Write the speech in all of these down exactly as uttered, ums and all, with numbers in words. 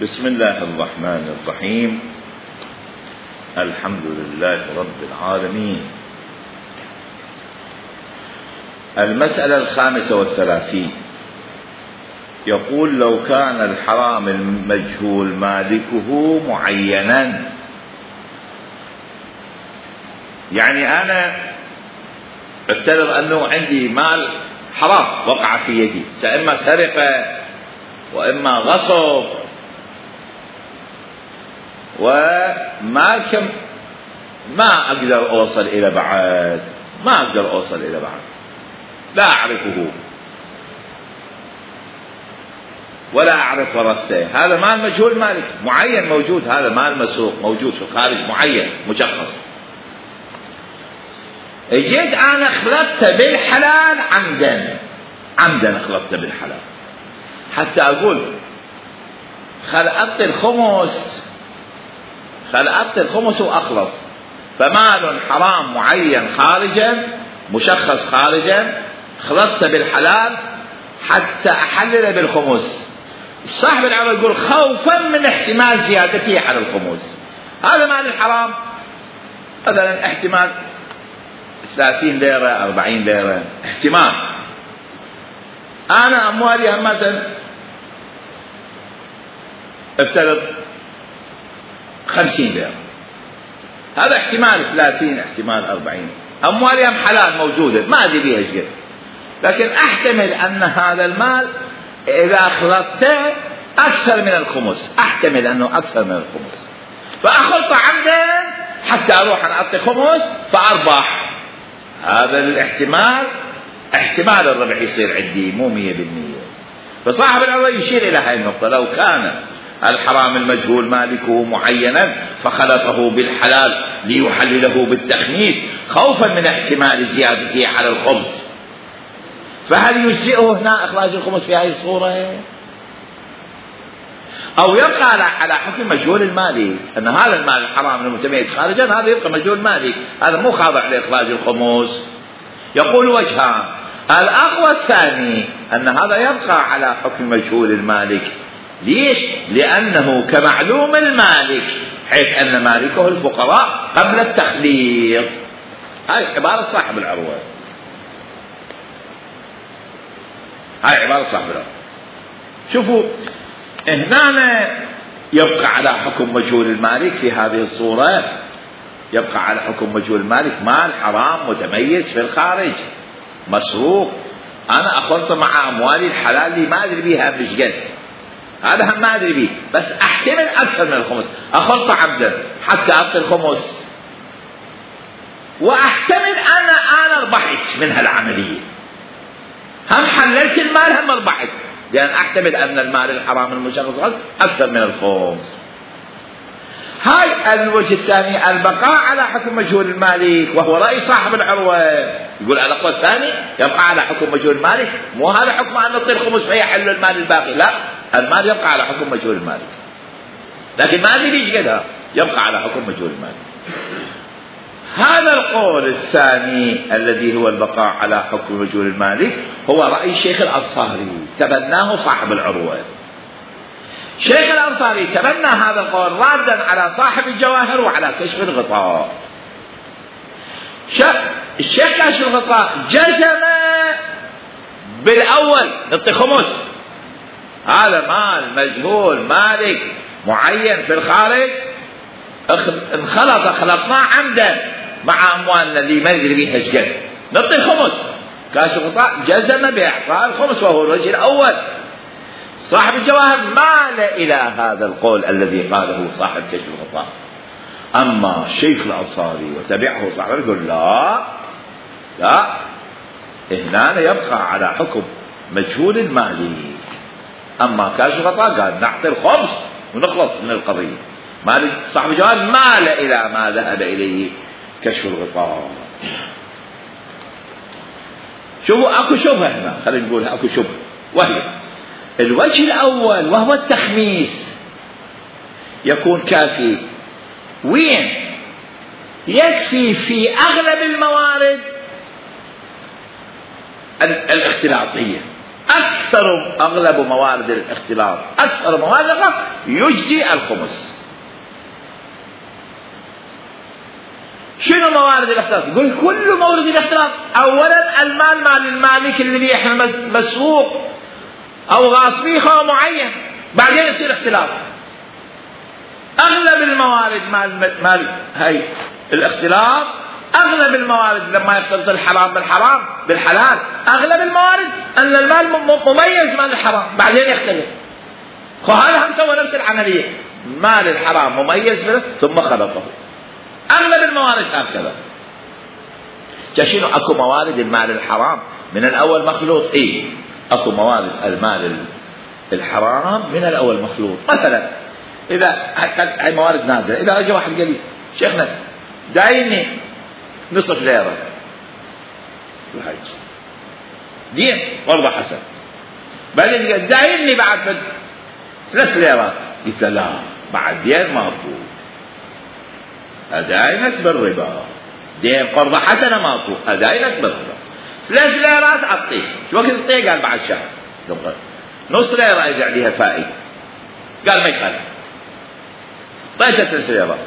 بسم الله الرحمن الرحيم. الحمد لله رب العالمين. المسألة الخامسة والثلاثين يقول: لو كان الحرام المجهول مالكه معينا، يعني أنا افترض أنه عندي مال حرام وقع في يدي، إما سرقة وإما غصب، وما كم ما أقدر أوصل إلى بعد، ما أقدر أوصل إلى بعد، لا أعرفه ولا أعرف ورثته. هذا مال مجهول مالك معين موجود، هذا مال مسروق موجود في الخارج معين مشخص. جيت أنا خلطت بالحلال عمدا، عمدا خلطت بالحلال حتى أقول خلقت الخمس، خلقت الخمس وأخلص، فمال حرام معين خارجا مشخص خارجا خلطت بالحلال حتى أحلل بالخمس. صاحب العمل يقول خوفا من احتمال زيادته على الخمس. هذا مال الحرام مثلا احتمال ثلاثين ليرة أربعين ليرة، احتمال. أنا أموالي مثلا افترض خمسين ليرة، هذا احتمال ثلاثين احتمال أربعين. أموالي هم حلال موجودة ما أدري بيها شيء، لكن أحتمل أن هذا المال إذا خلطته أكثر من الخمس، أحتمل أنه أكثر من الخمس، فأخلط عمدا حتى أروح أنا أعطي خمس فأربح. هذا الاحتمال احتمال الربح يصير عندي مو مية بالمية. فصاحب الأول يشير إلى هذه النقطة: لو كان الحرام المجهول مالكه معينا فخلطه بالحلال ليحلله بالتخميس خوفا من احتمال زيادته على الخمس، فهل يجزئه هنا إخراج الخمس في هذه الصورة؟ أو يبقى على حكم مجهول المالك، أن هذا المال الحرام المتميز خارجا هذا يبقى مجهول مالك، هذا مو خاضع لإخراج الخمس. يقول وجهان: الأقوى الثاني أن هذا يبقى على حكم مجهول المالك. ليش؟ لأنه كمعلوم المالك، حيث أن مالكه الفقراء قبل التخليط. هاي عبارة صاحب العروة، هاي عبارة صاحب العروة. شوفوا هنا يبقى على حكم مجهول المالك في هذه الصورة، يبقى على حكم مجهول المالك مال حرام متميز في الخارج مسروق، أنا أخلط مع أموالي الحلال اللي ما أدري بيها بشقد، هذا هم ما أدري بيه، بس أحتمل أكثر من الخمس، أخلط عبدا حتى أعطي الخمس، وأحتمل أنا أنا ربحت من هالعملية، هم حللت المال هم ربحت، لأن أحتمل أن المال الحرام المشخص أكثر من الخمس. هاي الوجه الثاني البقاء على حكم مجهول المالك، وهو رأي صاحب العروة. يقول الأقوى الثاني يبقى على حكم مجهول المالك، مو هذا حكم أن نعطي الخمس فيحل المال الباقي، لا، المال يبقى على حكم مجهول المالك، لكن ما أدري ليش كذا يبقى على حكم مجهول المالك. هذا القول الثاني الذي هو البقاء على حكم مجهول المالك هو رأي الشيخ الأنصاري، تبناه صاحب العروة. شيخ الأنصاري تبنى هذا القول رادا على صاحب الجواهر وعلى كشف الغطاء. الشيخ كشف الغطاء جزم بالأول نعطي خمس، هذا مال مجهول مالك معين في الخارج انخلط خلطناه عمدا مع أموالنا اللي ما ندري بيها شقد، نعطي خمس. كشف الغطاء جزم بإعطاء الخمس وهو الوجه الأول. صاحب الجواهر مال إلى هذا القول الذي قاله صاحب كشف الغطاء. أما الشيخ الأنصاري وتبعه صاحب يقول لا لا، هنا يبقى على حكم مجهول المالك. أما كشف الغطاء قال نعطي الخمس ونخلص من القضية. مالك صاحب الجواهر مال إلى ما ذهب إليه كشف الغطاء. شوفوا أكو شبهة هنا، خلينا نقول أكو شبهة، وهي الوجه الأول وهو التخميس يكون كافي. وين؟ يكفي في أغلب الموارد الاختلاطية، أكثر أغلب موارد الاختلاط أكثر موارد الاختلاط يجدي الخمس. شنو موارد الاختلاط؟ يقول كل مورد الاختلاط. أولا المال مال المالك الذي احنا مسروق أو غاصبيه خو معين، بعدين يصير اختلاط. أغلب الموارد مال مال هاي الاختلاط، أغلب الموارد لما يختلط الحرام بالحرام بالحلال، أغلب الموارد أن المال مميز مال الحرام بعدين يختلف. وهذا هم سوى نفس العملية، مال الحرام مميز منه ثم خلطه. أغلب الموارد هكذا. شنو أكو موارد المال الحرام من الأول مخلوط؟ إيه أكو موارد المال الحرام من الأول مخلوط. مثلا إذا هاي موارد نازلة، إذا أجى واحد قال لي شيخنا دايني نصف ليرة، دين والله حسن، بعدين قال دايني بعد ثلاث ليرات، قلت لا بعد دين ما أفوت، أداينك بالربا، دين قرض حسنة ما أفوت، أداينك بالربا. ثلاث ليرات أعطيه، شو وقت أعطيه؟ قال بعد شهر، نص ليرة أجي عليها فائدة، قال ما يخالف، طيب ثلاث ليرات.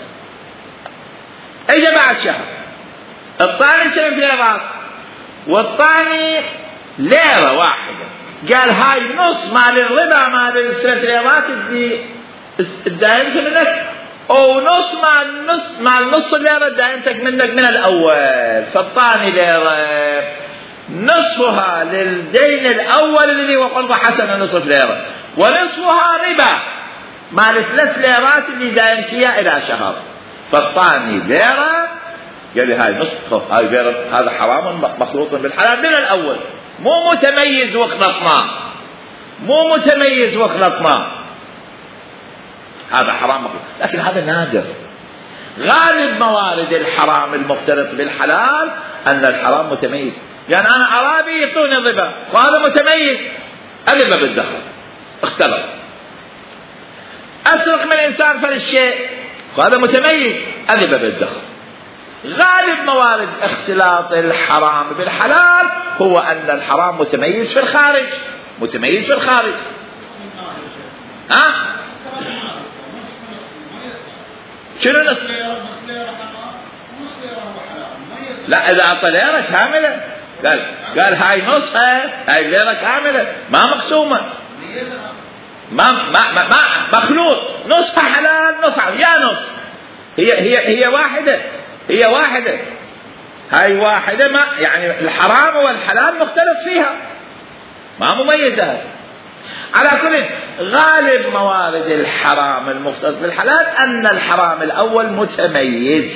اجى بعد شهر الثاني ثلاث ليرات والثاني ليرة واحدة، قال هاي نص مال الربا مال الثلاث ليرات اللي دايمتك منك، او نص مال نص مال نص ليرة دايمتك منك من الاول، فالثاني ليرة نصفها للدين الاول اللي هو قرض حسنة نصف ليرة، ونصفها ربا مال الثلاث ليرات اللي دايمتها الى شهر، فالثاني ليرة قال لي هاي نصف هاي ليرة، هذا حرام مخلوط بالحلال من الأول، مو متميز وخلطناه، مو متميز وخلطناه، هذا حرام مخلوط. لكن هذا نادر. غالب موارد الحرام المختلط بالحلال أن الحرام متميز، يعني أنا أرابي يعطوني الربا وهذا متميز، الربا بالدخل اختلط. أسرق من إنسان فللشيء وهذا متميز، الربا بالدخل. غالب موارد اختلاط الحرام بالحلال هو أن الحرام متميز في الخارج، متميز في الخارج. ها؟ شنو نص؟ لا إذا أعطى ليرة كاملة، قال قال هاي نصها، هاي ليرة كاملة ما مقسومة، ما ما ما, ما مخلوط، نصها حلال نصها يا نص، هي هي هي واحدة، هي واحدة، هاي واحدة، ما يعني الحرام والحلال مختلف فيها، ما مميزة. على كل غالب موارد الحرام المختلط بالحلال أن الحرام الأول متميز.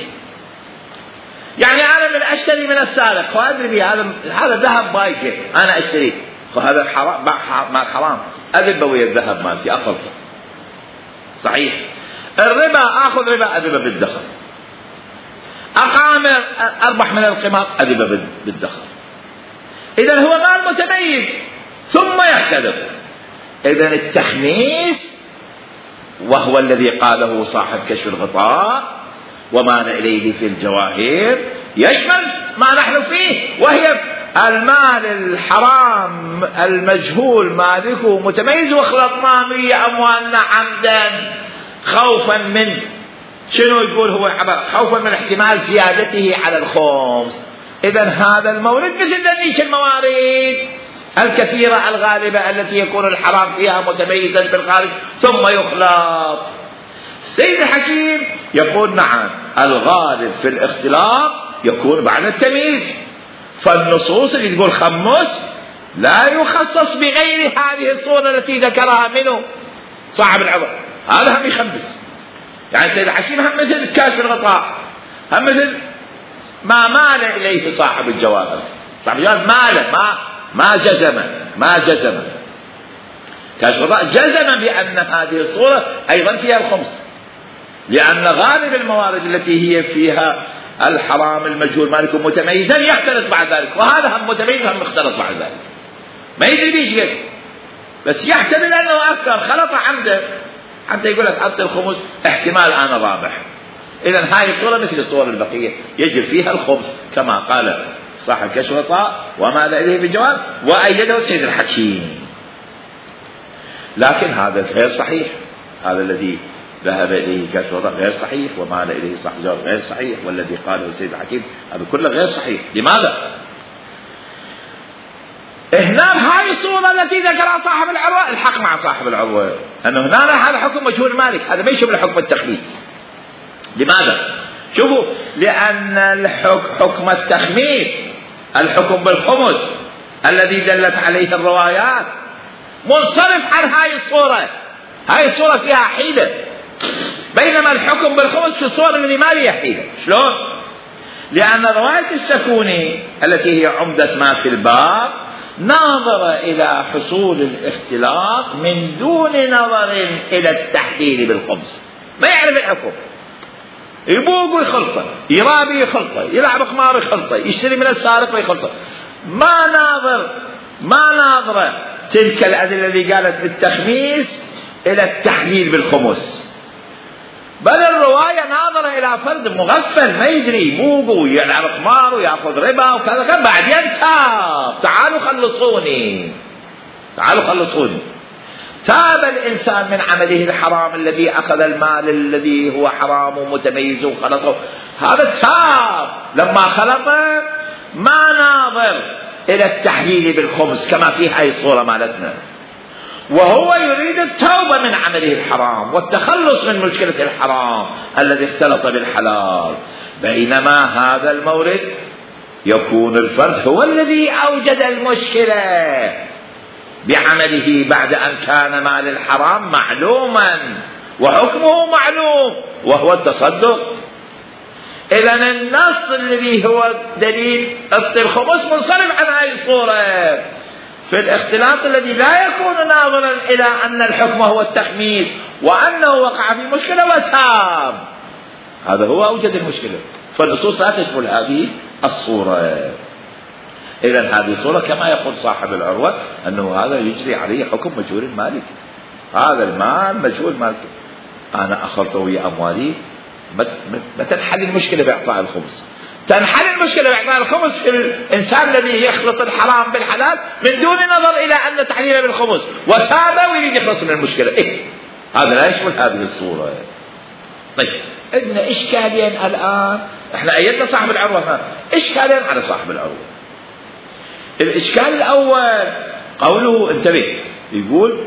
يعني أنا من أشتري من السارق وأدري بي هذا هذا ذهب بايكه، أنا أشتريه، وهذا حرام مال حرام، أذب ويا الذهب مالتي أخلص. صحيح. الربا آخذ ربا، أذب بالدخل. أقامر أربح من القمار، أذب بالدخل. إذا هو مال متميز ثم يختلف. إذا التخميس وهو الذي قاله صاحب كشف الغطاء ومال إليه في الجواهر يشمل ما نحن فيه، وهي المال الحرام المجهول مالكه متميز وخلطناه به أموالنا عمدا خوفا من شنو يقول هو عبر خوفا من احتمال زيادته على الخمس. إذا هذا المورد مثل ذلك الموارد الكثيرة الغالبة التي يكون الحرام فيها متميزا في الخارج ثم يخلط. السيد الحكيم يقول نعم الغالب في الاختلاط يكون بعد التمييز، فالنصوص اللي تقول خمس لا يخصص بغير هذه الصورة التي ذكرها منه صاحب العبر، هذا هم يخمس. يعني السيد الحكيم هم مثل كاشف الغطاء، هم مثل ما مال إليه صاحب الجواهر، صاحب الجواهر مال ما ما جزم ما جزم كاشف الغطاء جزم بأن هذه الصورة أيضا فيها الخمس، لأن غالب الموارد التي هي فيها الحرام المجهول مالك متميزا يختلط بعد ذلك، وهذا هم متميز هم يختلط بعد ذلك، ما يدري بيش قد، بس يحتمل أنه أكثر خلط عنده حتى يقول لك أعطي الخمس احتمال أنا رابح. إذا هاي الصورة مثل الصور البقية يجب فيها الخمس كما قال صاحب كشف الغطاء ومال إليه بالجواب، وأيده السيد الحكيم. لكن هذا غير صحيح، هذا الذي ذهب إليه كشف الغطاء غير صحيح، ومال إليه صاحب الجواب غير صحيح، والذي قاله السيد الحكيم هذا كله غير صحيح. لماذا؟ هنا هاي الصورة التي ذكرها صاحب العروة الحق مع صاحب العروة أنه هنا هذا حكم مجهول مالك، هذا ما يشبه حكم التخميس. لماذا؟ شوفوا، لأن الحكم حكم التخميس الحكم بالخمس الذي دلت عليه الروايات منصرف عن هاي الصورة. هاي الصورة فيها حيلة، بينما الحكم بالخمس في الصورة التي ما فيها حيلة. شلون؟ لأن رواية السكوني التي هي عمدة ما في الباب ناظر إلى حصول الاختلاط من دون نظر إلى التحليل بالخمس، ما يعرف الحكم، يبوق ويخلطه، يرابي يخلطه، يلعب قمار يخلطه، يشتري من السارق ويخلطه، ما ناظر ما ناظر تلك الأدلة اللي قالت بالتخميس إلى التحليل بالخمس، بل الرواية ناظرة إلى فرد مغفل ما يدري، يبوق ويلعب قمار ويأخذ ربا وكذا كذا، بعدين تاب، تعالوا خلصوني تعالوا خلصوني تاب الإنسان من عمله الحرام الذي أخذ المال الذي هو حرام ومتميز وخلطه، هذا تاب لما خلطه، ما ناظر إلى التحليل بالخمس كما في هاي الصورة مالتنا، وهو يريد التوبة من عمله الحرام والتخلص من مشكلة الحرام الذي اختلط بالحلال. بينما هذا المورد يكون الفرد هو الذي أوجد المشكلة بعمله بعد أن كان مال الحرام معلوما وحكمه معلوم وهو التصدق. إذن النص الذي هو دليل الخمس منصرف عن هذه الصورة في الاختلاط الذي لا يكون ناظرا إلى أن الحكم هو التخميس وأنه وقع في مشكلة وتاب، هذا هو أوجد المشكلة، فالنصوص لا تشمل هذه الصورة. إذن هذه الصورة كما يقول صاحب العروة أنه هذا يجري عليه حكم مجهول المالك، هذا المال مجهول مالك، أنا أخلطه ويا أموالي، ما تنحل المشكلة بإعطاء الخمس، تنحل المشكلة بإعطاء الخمس في الإنسان الذي يخلط الحرام بالحلال من دون نظر إلى أن تحليله بالخمس وتاب ويريد يخلص من المشكلة. إيه؟ هذا لا يشمل هذه الصورة. طيب عندنا إشكالين الآن، إحنا أيدنا صاحب العروة، إشكالين على صاحب العروة. الإشكال الأول قوله، انتبه، يقول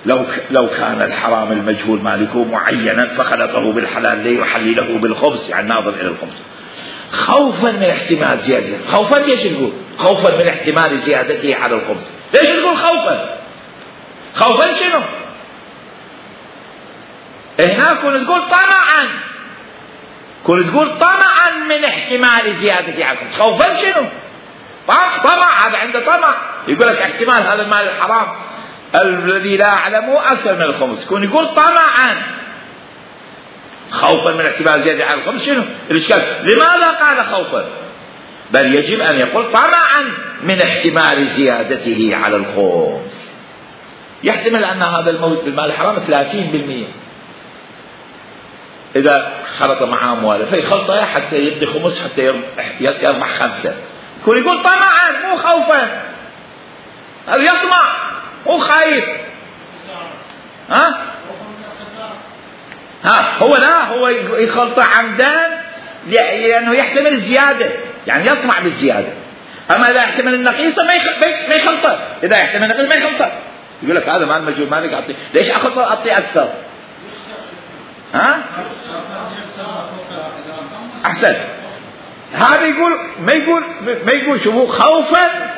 لو لو كان الحرام المجهول مالكه معينا فخلطه بالحلال ليحلله بالخبز، يعني ناظر إلى الخبز خوفا من احتمال زيادته. خوفا ليش نقول؟ خوفا من احتمال زيادته على الخبز. ليش نقول خوفا؟ خوفا شنو؟ هنا كنت تقول طمعا، كنت تقول طمعا من احتمال زيادته على الخبز. خوفا شنو؟ طمع، هذا عنده طمع، يقول لك احتمال هذا المال الحرام الذي لا أعلمه أكثر من الخمس، كون يقول طمعا خوفا من احتمال زيادة على الخمس. شنو الإشكال؟ لماذا قال خوفا؟ بل يجب أن يقول طمعا من احتمال زيادته على الخمس. يحتمل أن هذا الموت بالمال الحرام ثلاثين بالمئة، إذا خلط مع أمواله فيخلطه حتى يبدي خمس حتى يربح خمسة، كون يقول طمعا مو خوفا، هذا يطمع مو خايف. ها ها هو لا هو يخلط عمدا لأنه يحتمل الزيادة، يعني يطمع بالزيادة. أما إذا يحتمل النقيصة ما يخلطه، إذا يحتمل النقيصة ما يخلطه، يقول لك هذا مال مجهول مالك أعطيه، ليش أخلط أعطيه أكثر؟ ها أحسن. هذا يقول ما يقول ما يقول شوفوا خوفا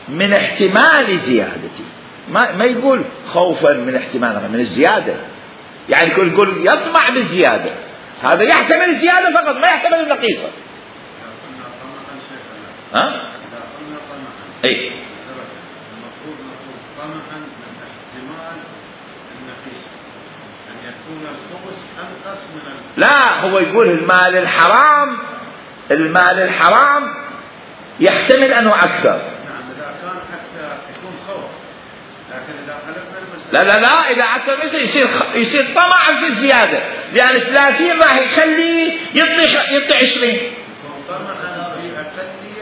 من احتمال زيادتي، ما ما يقول خوفا من احتمال من الزيادة، يعني يقول يقول يطمع بالزيادة، هذا يحتمل الزيادة فقط ما يحتمل النقيصة. ها؟ اي المفروض نقول طمعا من احتمال النقيصة، أن يكون الخبز أنقص من ال... لا، هو يقول المال الحرام المال الحرام يحتمل أنه أكثر. نعم إذا كان حتى يكون خوف، لكن إذا خلقنا المسألة لا لا لا إذا أكثر مثل يصير يصير طمع في الزيادة، لأن ثلاثين راح يخليه يعطي يعطي عشرين. طمعا في أقلية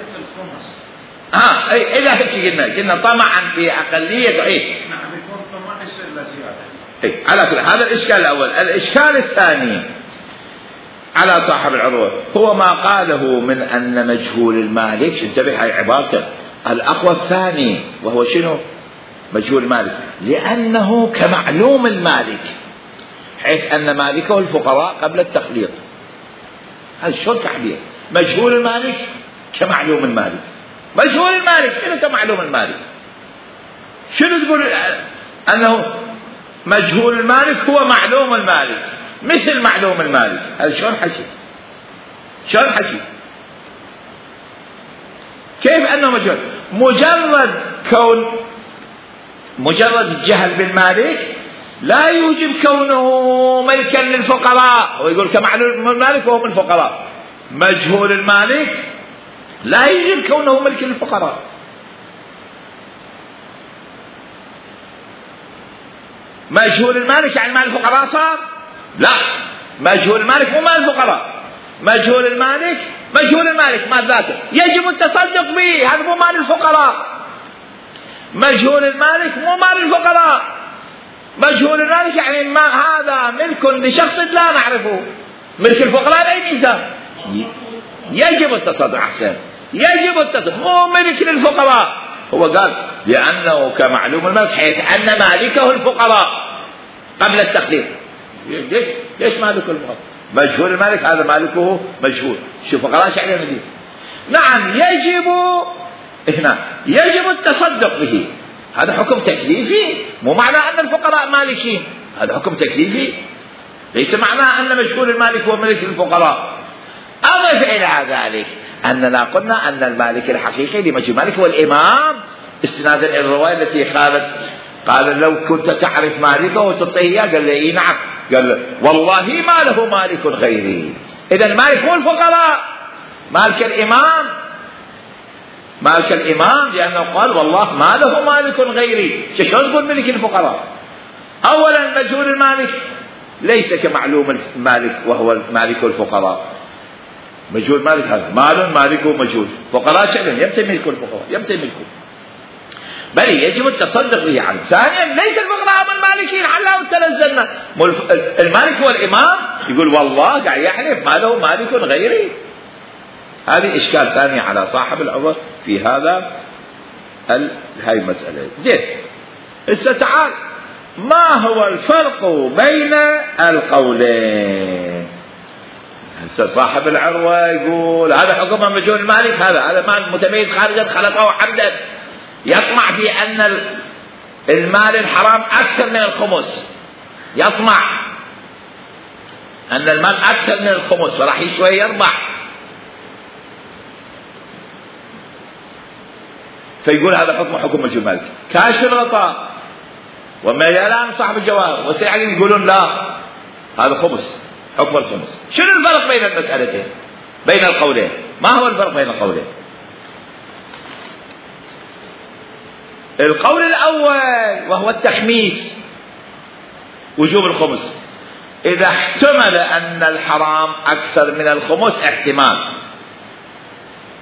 اه اي الى هيك قلنا قلنا طمعا في اقليه اي نعم يكون طمع يصير له زياده. اي على كل هذا الاشكال الاول. الاشكال الثاني على صاحب العروه هو ما قاله من ان مجهول المالك، انتبه هاي عبارته الاقوى الثاني، وهو شنو؟ مجهول المالك، لانه كمعلوم المالك، حيث ان مالكه الفقراء قبل التخليط. هذا شو التعبير؟ مجهول المالك كمعلوم المالك. مجهول المالك شنو كمعلوم المالك؟ شنو تقول انه مجهول المالك هو معلوم المالك مثل معلوم المالك؟ هذا شلون حكي؟ شلون حكي؟ كيف انه مجهول؟ مجرد كون مجرد الجهل بالمالك لا يوجب كونه ملكا للفقراء، ويقول كمعلوم المالك وهو من الفقراء. مجهول المالك لا يوجب كونه ملك للفقراء. مجهول المالك يعني مال الفقراء صار؟ لا، مجهول المالك مو مال الفقراء. مجهول المالك مجهول المالك مال ذاته يجب التصدق به، هذا مو مال الفقراء. مجهول المالك مو مال الفقراء. مجهول المالك يعني ما هذا ملك لشخص لا نعرفه. ملك الفقراء بأي ميزان؟ يجب التصدق. أحسن، يجب التصدق، مو ملك للفقراء. هو قال لأنه كمعلوم المالك حيث أن مالكه الفقراء قبل التخليط. ليش ليش مالك الفقراء؟ مجهول المالك هذا مالكه مجهول. شو فقراء شعر المدينة؟ نعم يجب هنا يجب التصدق به. هذا حكم تكليفي، مو معنى أن الفقراء مالكين، هذا حكم تكليفي، ليس معناه أن مجهول المالك هو ملك الفقراء. أضف إلى ذلك أننا قلنا أن المالك الحقيقي لمجهول المالك هو الإمام، استنادا إلى الرواية التي قالت قال لو كنت تعرف مالكه وتعطيه إياه، قال له إيه نعم، قال له والله ما له مالك غيري. إذا المالك هو الفقراء، مالك الإمام، مالك الإمام، لأنه قال والله ما له مالك غيري. شلون تقول ملك الفقراء؟ أولا مجهول المالك ليس كمعلوم المالك وهو مالك الفقراء. مجهول المالك هذا مال مالكه مجهول، فقراء شأن يمتى ملك الفقراء، يمتى ملكه، بل يجب التصدق به عنه. ثانيا ليس الفقراء هم المالكين، حلا وتنزلنا. المالك هو الإمام، يقول والله قاعد يحلف ما له مالك غيري. هذه إشكال ثاني على صاحب العذر في هذا ال... هاي المسألة. زين، هسه تعال ما هو الفرق بين القولين؟ هسه صاحب العروة يقول هذا حكم مجهول المالك، هذا هذا مال متميز خارجا خلقه حمدا، يطمع في أن المال الحرام أكثر من الخمس، يطمع أن المال أكثر من الخمس فراح شوي يربح، فيقول هذا حكم حكم مجهول المالك. كاشف الغطاء وميلان صاحب الجواهر والسيعين يقولون لا هذا خمس، حكم الخمس. شنو الفرق بين المسألتين، بين القولين؟ ما هو الفرق بين القولين؟ القول الأول وهو التخميس، وجوب الخمس، إذا احتمل أن الحرام أكثر من الخمس احتمال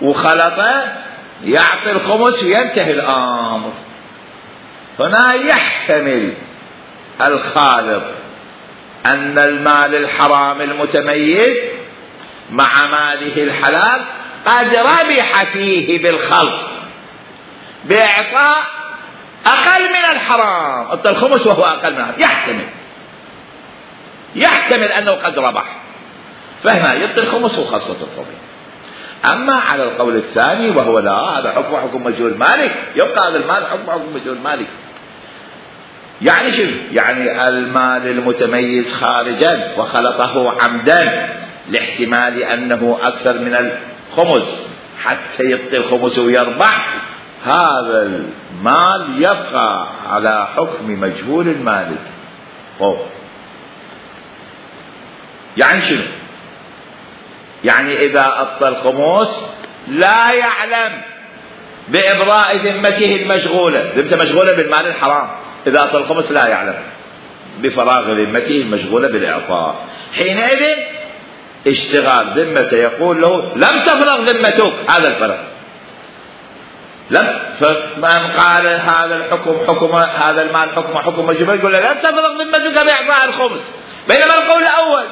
وخلطه يعطي الخمس وينتهي الأمر. هنا يحتمل الخالط أن المال الحرام المتميز مع ماله الحلال قد ربح فيه بالخلط بإعطاء أقل من الحرام، أعطى الخمس وهو أقل من الحرام، يحتمل يحتمل أنه قد ربح، فهنا يعطي الخمس وخاصة الطبيعي. أما على القول الثاني وهو لا هذا حكم حكم مجهول مالك، يبقى هذا المال حكم حكم مجهول مالك. يعني شو؟ يعني المال المتميز خارجا وخلطه عمدا لاحتمال أنه أكثر من الخمس حتى يعطي الخمس ويربح، هذا المال يبقى على حكم مجهول المالك. أوه. يعني شنو؟ يعني إذا أعطى الخمس لا يعلم بإبراء ذمته المشغولة، ذمته مشغولة بالمال الحرام، إذا أعطى الخمس لا يعلم بفراغ ذمته المشغولة بالإعطاء، حينئذ اشتغال ذمته يقول له لم تفرغ ذمتك، هذا الفرق. لم فمن قال هذا الحكم حكم هذا المال حكم حكم مجبور يقول له لم تفرغ ذمتك بإعطاء الخمس، بينما القول الأول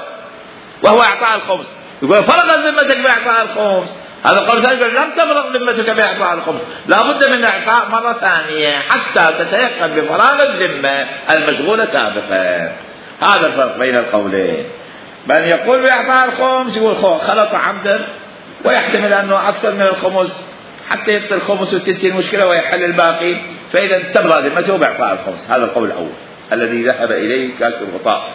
وهو إعطاء الخمس يقول فرغت ذمتك بإعطاء الخمس، هذا القول الثاني يقول لم تفرغ ذمتك بإعطاء الخمس، لا بد من إعطاء مرة ثانية حتى تتيقن بفراغ الذمة المشغولة سابقا. هذا الفرق بين القولين. من يقول بإعطاء الخمس يقول خلط عمدا ويحتمل أنه أكثر من الخمس حتى يعطي الخمس وتنتهي المشكلة ويحل الباقي، فإذا تبرأ ذمته بإعطاء الخمس. هذا القول الأول الذي ذهب إليه كاشف الغطاء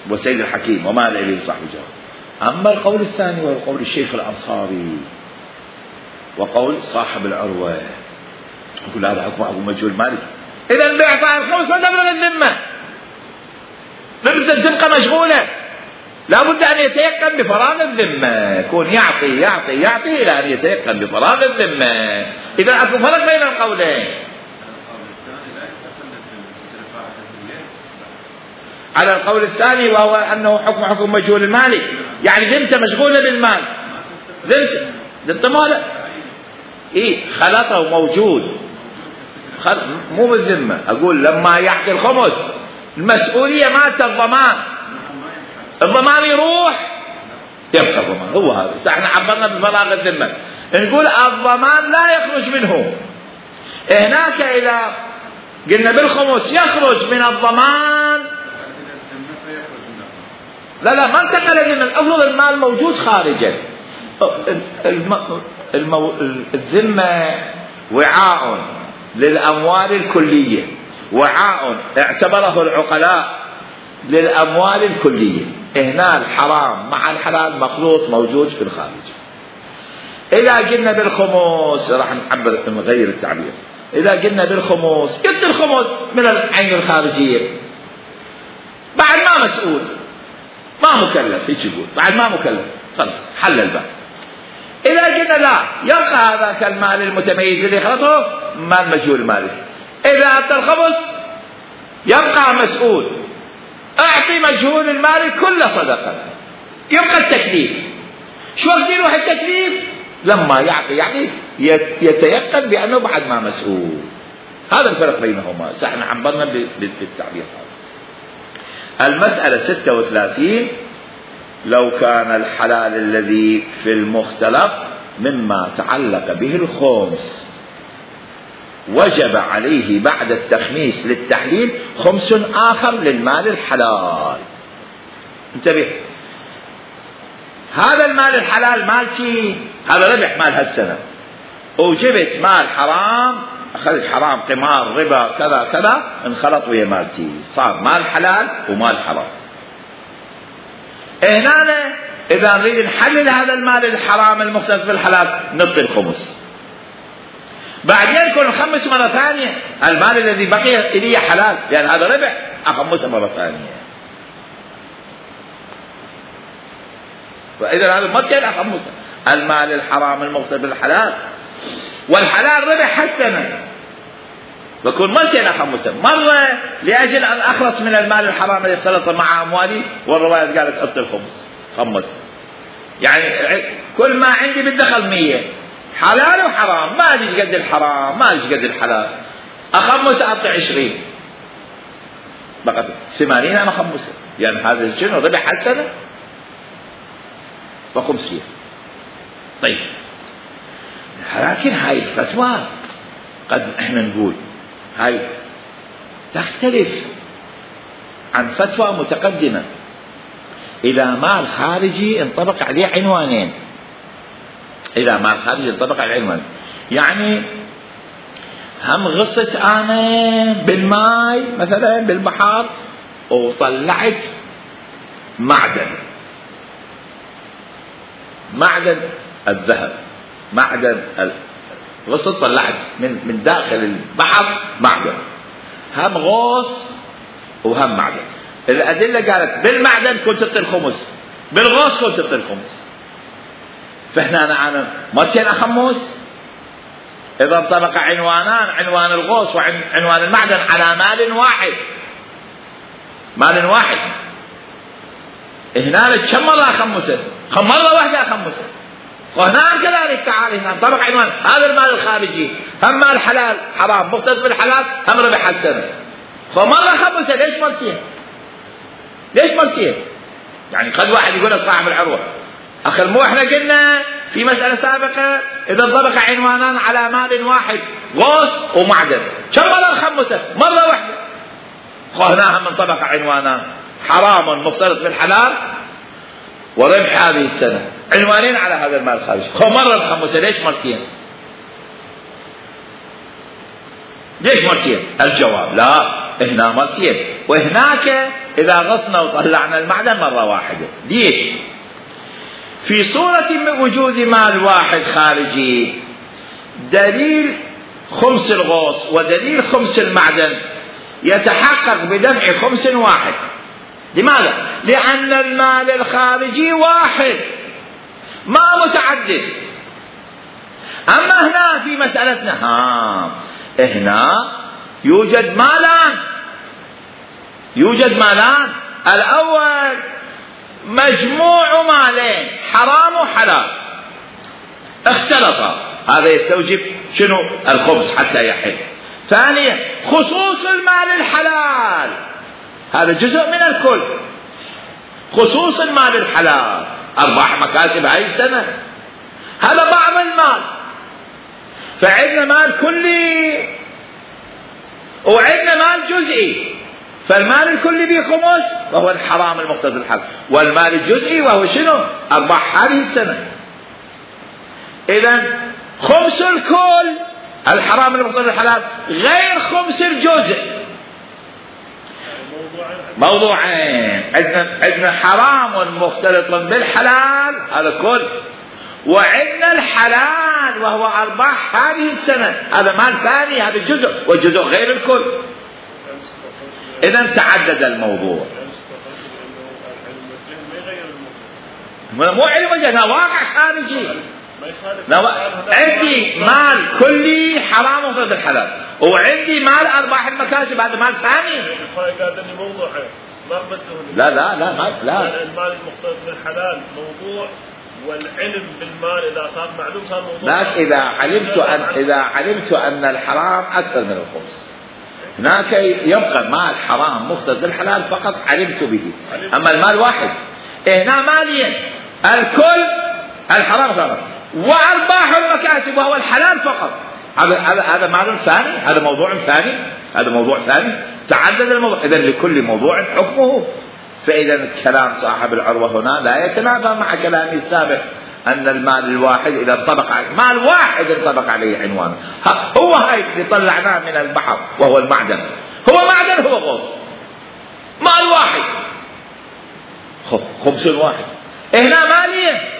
والسيد الحكيم ومال إليه صاحب الجواب. أما القول الثاني وهو قول الشيخ الأنصاري وقول صاحب العروة يقول هذا حكم أبو مجهول مالك، إذا بإعطاء الخمس ما تبرأ الذمة، ذمة تبقى مشغولة، لا بد أن يتيقن بفراغ الذمة، يكون يعطي يعطي يعطي إلى أن يتيقن بفراغ الذمة. إذا أكو فرق بين القولين. على القول الثاني وهو أنه حكم حكم مجهول المالك، يعني ذمته مشغولة بالمال، ذمته ذمته ماله إيه خلطه موجود خل... مو بالذمة. أقول لما يعطي الخمس المسؤولية مالت الضمان، الضمان يروح يبقى الضمان، هو هذا. احنا عبرنا بفراغ الذمة، نقول الضمان لا يخرج منه. هناك إذا قلنا بالخمس يخرج من الضمان، لا لا ما انتقل من الأفضل، المال موجود خارجا. المو... الذمة وعاء للأموال الكلية، وعاء اعتبره العقلاء للأموال الكلية. هنا الحرام مع الحلال مخلوط موجود في الخارج. إذا قلنا بالخمس راح نعبر نغير التعبير، إذا قلنا بالخمس قلت الخمس من العين الخارجية بعد ما مسؤول ما مكلف، هيك يقول بعد ما مكلف خلاص حل الباب. إذا قلنا لا يبقى هذاك المال المتميز اللي خلطه مال مجهول مالك، إذا أعطى الخمس يبقى مسؤول، أعطي مجهول المال كل صدقة، يبقى التكليف. شو وقت يروح التكليف؟ لما يعطي يعطي يتيقن بأنه بعد ما مسؤول. هذا الفرق بينهما. احنا عبرنا بالتعبير هذا. المسألة ستة وثلاثين لو كان الحلال الذي في المختلط مما تعلق به الخمس وجب عليه بعد التخميس للتحليل خمس آخر للمال الحلال. انتبه، هذا المال الحلال مالتي، هذا ربح مال هالسنة، وجبت مال حرام، أخذت حرام قمار ربا كذا كذا انخلط ويا مالتي، صار مال حلال ومال حرام. هنا إذا نريد نحلل هذا المال الحرام المختلط بالحلال نعطي الخمس، بعدين يكون نخمس مرة ثانية المال الذي بقي إلي حلال، لأن هذا ربح أخمسه مرة ثانية. فإذا هذا مرتين أخمسه المال الحرام المختلط بالحلال، والحلال ربح حسنا بكون مرتين أخمسه، مرة لأجل أن أخلص من المال الحرام الذي اختلط مع أموالي، والرواية قالت أعطي الخمس خمس، يعني كل ما عندي بالدخل مية حلال وحرام، ما أجيش قد الحرام ما أجيش قد الحلال، أخمس أعطي عشرين بقت ثمانين أنا أخمسه، يعني هذا الجن ربح حسنا وخمسين. طيب لكن هاي الفتوى قد احنا نقول هاي تختلف عن فتوى متقدمة. إذا مال خارجي انطبق عليه عنوانين، إذا مال خارجي انطبق عليه عنوانين، يعني هم غصت أنا بالماء مثلا بالبحر وطلعت معدن، معدن الذهب، معدن غصت طلعت من من داخل البحر معدن، هم غوص وهم معدن. الأدلة قالت بالمعدن كنت تعطي الخمس، بالغوص كنت تعطي الخمس. فهنا أنا مرتين أخمس إذا انطبق عنوانان، عنوان الغوص وعنوان المعدن على مال واحد، مال واحد. هنا كم مرة أخمسه؟ مرة واحدة أخمسه. وهنا كذلك تعال هنا انطبق عنوان هذا المال الخارجي، هم مال حلال حرام مختلط بالحلال هم ربح السنة. فمرة خمسة ليش مرتين؟ ليش مرتين؟ يعني قد واحد يقول صاحب العروة أخي مو احنا قلنا في مسألة سابقة إذا انطبق عنوانان على مال واحد غوص ومعدن كم مرة خمسة؟ مرة واحدة. هنا هم انطبق عنوانان حرام مختلط بالحلال وربح هذه السنة عنوانين على هذا المال الخارجي. مرة الخمسة ليش مرتين؟ ليش مرتين؟ الجواب لا هنا مرتين وهناك إذا غصنا وطلعنا المعدن مرة واحدة. ليش؟ في صورة وجود مال واحد خارجي دليل خمس الغوص ودليل خمس المعدن يتحقق بدفع خمس واحد. لماذا؟ لأن المال الخارجي واحد ما متعدد. أما هنا في مسألتنا ها هنا يوجد مالان يوجد مالان الأول مجموع مالين حرام وحلال اختلطا هذا يستوجب شنو؟ الخبز حتى يحل. ثانيا خصوص المال الحلال هذا جزء من الكل. خصوص المال الحلال أرباح مكاسب هاي السنة هذا بعض المال. فعندنا مال كلي وعندنا مال جزئي. فالمال الكلي بخمس وهو الحرام المختلط بالحلال والمال الجزئي وهو شنو؟ أرباح هذه السنة. إذن خمس الكل الحرام المختلط بالحلال غير خمس الجزء موضوعين. عندنا عندنا حرام مختلط بالحلال هذا كل وعندنا الحلال وهو أرباح هذه السنة هذا مال ثاني هذا الجزء والجزء غير الكل. إذن تعدد الموضوع. مو علم وجه واقع خارجي. عندي مال كلي حرام مختلط بالحلال وعندي مال أرباح المكاسب هذا مال ثاني. لا لا لا ما لا المال المختلط بالحلال موضوع والعلم بالمال إذا صار معلوم صار موضوع. لكن إذا علمت أن إذا علمت أن الحرام أكثر من الخمس هناك يبقى مال حرام مختلط بالحلال فقط علمت به. أما المال واحد هنا مالين الكل الحرام فقط وأرباح المكاسب وهو الحلال فقط. هذا هذا هذا مال ثاني هذا موضوع ثاني هذا موضوع ثاني تعدد الموضوع. إذن لكل موضوع حكمه. فإذا كلام صاحب العروة هنا لا يتنافى مع كلامي السابق أن المال الواحد إذا انطبق عليه مال واحد انطبق عليه عنوان هو هاي اللي طلعناه من البحر وهو المعدن هو معدن هو غوص مال واحد خمس واحد. هنا مالية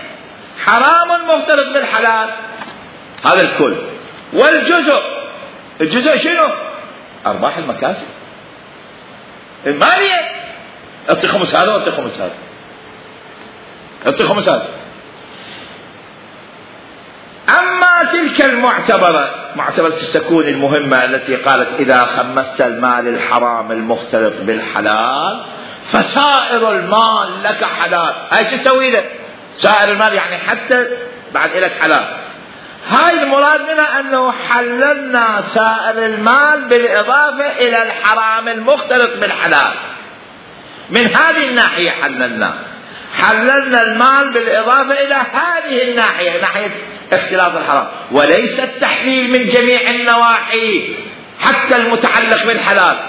حرام مختلط بالحلال هذا الكل والجزء الجزء شنو؟ أرباح المكاسب المالية. أعطي خمس هذا وأعطي خمس هذا أعطي خمس هذا. أما تلك المعتبرة معتبرة السكون المهمة التي قالت إذا خمست المال الحرام المختلط بالحلال فسائر المال لك حلال. هاي شو تسوي له؟ سائر المال يعني حتى بعد لك حلال. هاي المراد منها أنه حللنا سائر المال بالإضافة إلى الحرام المختلط بالحلال. من هذه الناحية حللنا حللنا المال بالإضافة إلى هذه الناحية ناحية اختلاط الحرام وليس التحليل من جميع النواحي حتى المتعلق بالحلال.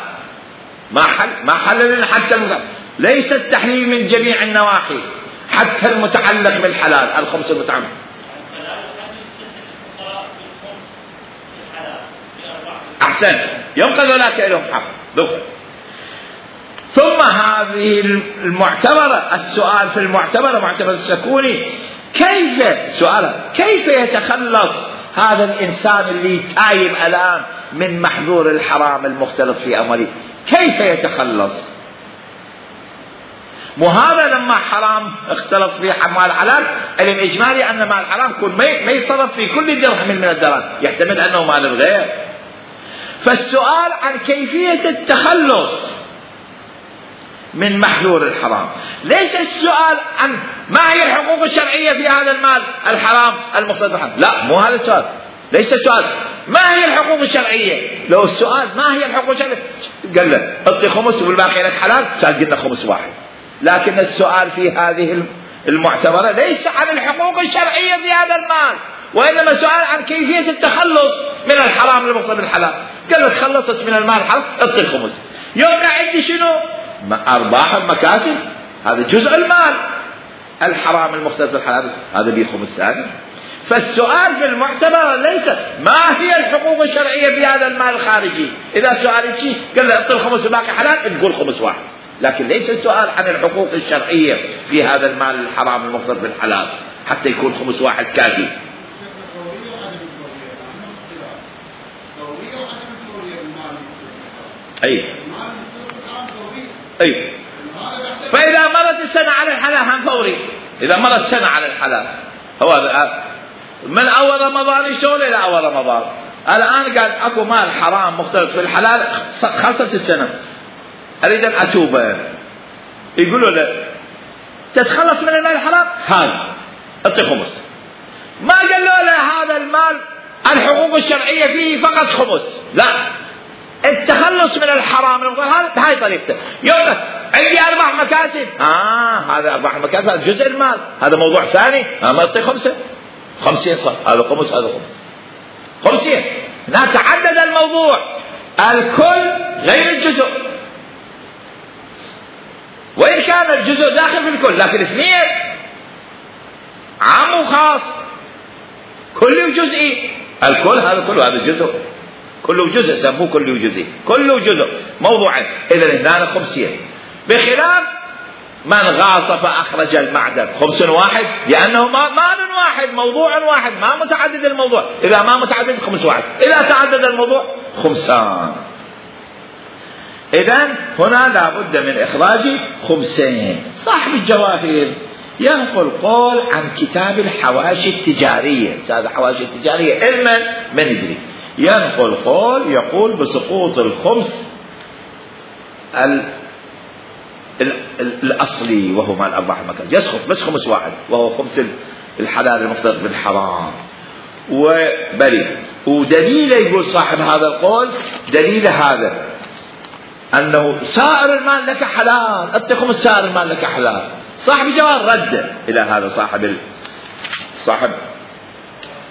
ما حل ما حللنا حتى المتعلق. ليس التحليل من جميع النواحي حتى المتعلق بالحلال الخمس المتعلق. أحسن ينقذ ذلك لهم حق. ثم هذه المعتبرة السؤال في المعتبرة معتبرة السكوني كيف سؤال كيف يتخلص هذا الإنسان اللي تايب الآن من محذور الحرام المختلط في أمره كيف يتخلص؟ مو هذا لما حرام اختلط في مال حلال علم إجمالي أن مال حرام يكون ما يصرف في كل درهم من الدراهم يحتمل أنه مال الغير. فالسؤال عن كيفية التخلص من محذور الحرام ليس السؤال عن ما هي الحقوق الشرعية في هذا المال الحرام المختلط بالحرام. لا مو هذا السؤال. ليس السؤال ما هي الحقوق الشرعية. لو السؤال ما هي الحقوق الشرعية قال له اعطي خمس والباقي لك حلال، صار قلنا خمس واحد. لكن السؤال في هذه المعتبرة ليس عن الحقوق الشرعية في هذا المال، وإنما سؤال عن كيفية التخلص من الحرام المقتضى بالحلال. قال لك خلصت من المال الحرام اعطي الخمس، يوقع عندي شنو؟ أرباح المكاسب، هذا جزء المال. الحرام المقتضى بالحلال هذا به خمس ثاني. فالسؤال في المعتبر ليس ما هي الحقوق الشرعية في هذا المال الخارجي. إذا سؤال شيء قال له اعطي الخمس وباقي حلال تقول خمس واحد، لكن ليس السؤال عن الحقوق الشرعية في هذا المال الحرام المقتضى بالحلال حتى يكون خمس واحد كافي. أي أي فإذا مرت السنة على الحلال هم فوري. إذا مرت السنة على الحلال هو من أول رمضان يشتغل إلى أول رمضان. الآن قال أكو مال حرام مختلط في الحلال خلصت السنة أريد أن أتوب، يقولوا له تتخلص من المال الحرام هذا أعطي خمس. ما قالوا له هذا المال الحقوق الشرعية فيه فقط خمس، لا، التخلص من الحرام هذا بهاي طريقته. يوم عندي أربع مكاسب، آه هذا أربع المكاسب هذا جزء المال، هذا موضوع ثاني. آه ما أعطي خمسة خمسين صار هذا خمس هذا خمس خمسين. هنا تعدد الموضوع، الكل غير الجزء، وإن كان الجزء داخل في الكل لكن اثنين عام وخاص، كلي وجزئي. الكل هذا كله هذا جزء، كله جزء سموه كله وجزئي، كله جزء موضوعين. إذا هنا خمسين، بخلاف من غاص فأخرج المعدن خمس واحد، لأنه مال واحد موضوع واحد ما متعدد الموضوع. إذا ما متعدد خمس واحد، إذا تعدد الموضوع خمسان. إذن هنا لابد من إخراج خمسين. صاحب الجواهر ينقل قول عن كتاب الحواشي التجارية، هذا الحواشي التجارية علما من يدري، ينقل قول يقول بسقوط الخمس ال ال ال الأصلي وهو مال أرباح المكاسب، يسقط بس خمس واحد وهو خمس الحلال المفترض بالحرام وبري. ودليل يقول صاحب هذا القول دليل هذا أنه سائر المال لك حلال، أنت خمس سائر المال لك حلال. صاحب الجواب رد إلى هذا صاحب ال... صاحب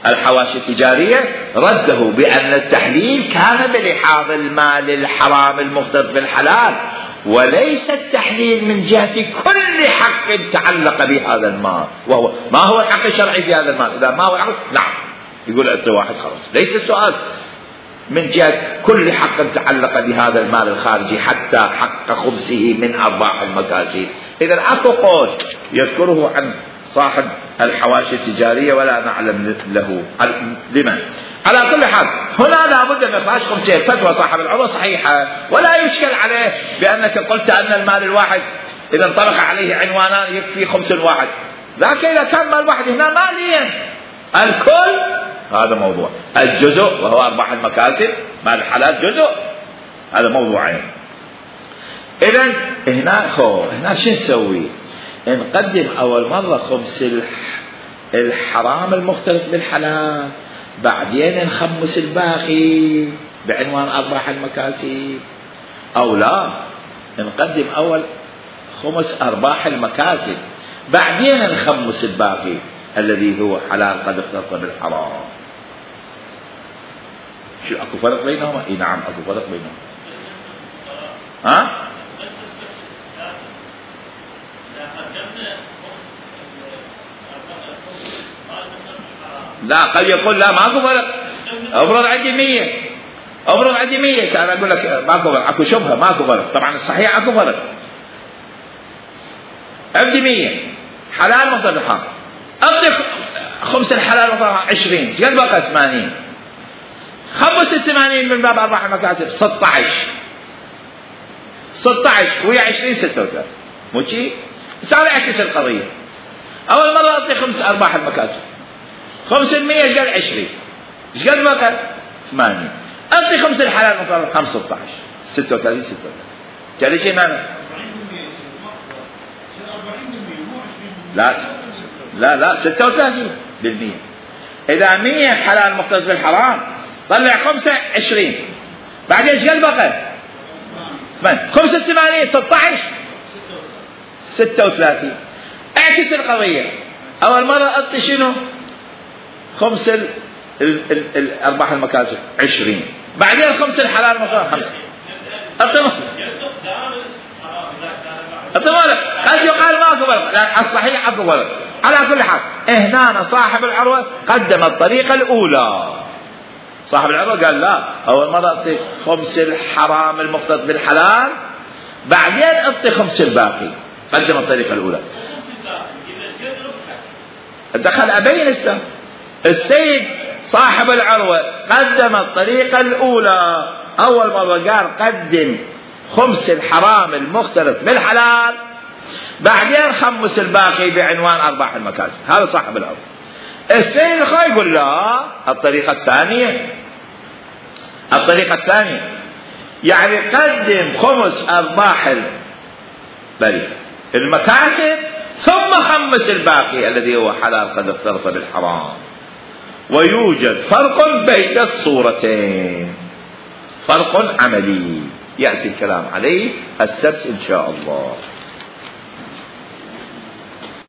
الحواشي التجارية رده بأن التحليل كان بلحاظ المال الحرام المختلط بالحلال، وليس التحليل من جهة كل حق تعلق بهذا المال. وهو ما هو الحق الشرعي في هذا المال؟ إذا ما هو الحق نعم يقول أنت واحد خلاص. ليس السؤال من جهة كل حق تعلق بهذا المال الخارجي حتى حق خمسه من أرباح المكاسب. إذا أكو قول يذكره عن صاحب الحواشي التجارية ولا نعلم له لمن. على كل حال هنا لابد من إخراج خمسين. فتوى صاحب العروة صحيحة ولا يشكل عليه بأنك قلت أن المال الواحد إذا انطلق عليه عنوانان يكفي خمس واحد، لكن إذا كان مال واحد هنا ماليا الكل هذا موضوع، الجزء وهو أرباح المكاسب مال الحلال جزء هذا موضوعين. إذن هنا خو هنا شو نسوي؟ نقدم أول مرة خمس الحرام المختلط بالحلال، بعدين نخمس الباقي بعنوان أرباح المكاسب، أو لا نقدم أول خمس أرباح المكاسب بعدين نخمس الباقي الذي هو حلال قد اختلط بالحرام. شو أكو فرق بينهما؟ إيه نعم أكو فرق بينهما. ها؟ لا قد يقول لا ماكو فرق، افرض عندي مية افرض عندي مية كان اقول لك ماكو فرق، اكو شبهه ماكو فرق. طبعا الصحيح اكو فرق. عندي مية حلال مختلط بالحرام، اعطي خمس الحلال مختلط عشرين، قد بقى ثمانين، خمس الثمانين من باب ارباح المكاسب ستة عشر ستة عشر ويا عشرين ستة وثلاثين، مو شي؟ صار اعكس القضيه. اول مره اعطي خمس ارباح المكاسب خمس المية ايش قال عشرين، ايش قال بقى ثمانين، اعطي خمس الحلال مختلط خمس ستة عشر ستة وثلاثين ستة وثلاثين، قال شيء معنى لا لا لا ستة وثلاثين بالمية. إذا مية حلال مختلط بالحرام طلع خمسة عشرين، بعدين ايش قال بقى؟ ثمانية. خمسة ثمانية ستة عشر ستة وثلاثين. اعكس القضية، أول مرة أعطي شنو؟ خمس ال... ال... ال... الأرباح المكاسب عشرين، بعدين خمس الحلال مختلط خمسة. أعطي قد يقال ماكو فرق، لكن الصحيح اكو فرق. على كل حال هنا صاحب العروة قدم الطريقة الأولى. صاحب العروة قال لا، أول مرة أعطي خمس الحرام المختلط بالحلال، بعدين أعطي خمس الباقي. قدم الطريقة الأولى. دخل أبين السم. السيد صاحب العروة قدم الطريقة الأولى، أول مرة قال قدم خمس الحرام المختلط بالحلال، بعدين خمس الباقي بعنوان أرباح المكاسب. هذا صاحب الأرض. السيد الخوي يقول لا، الطريقة الثانية الطريقة الثانية يعني قدم خمس أرباح بل المكاسب ثم خمس الباقي الذي هو حلال قد اختلط بالحرام. ويوجد فرق بين الصورتين، فرق عملي يأتي الكلام عليه السبت إن شاء الله.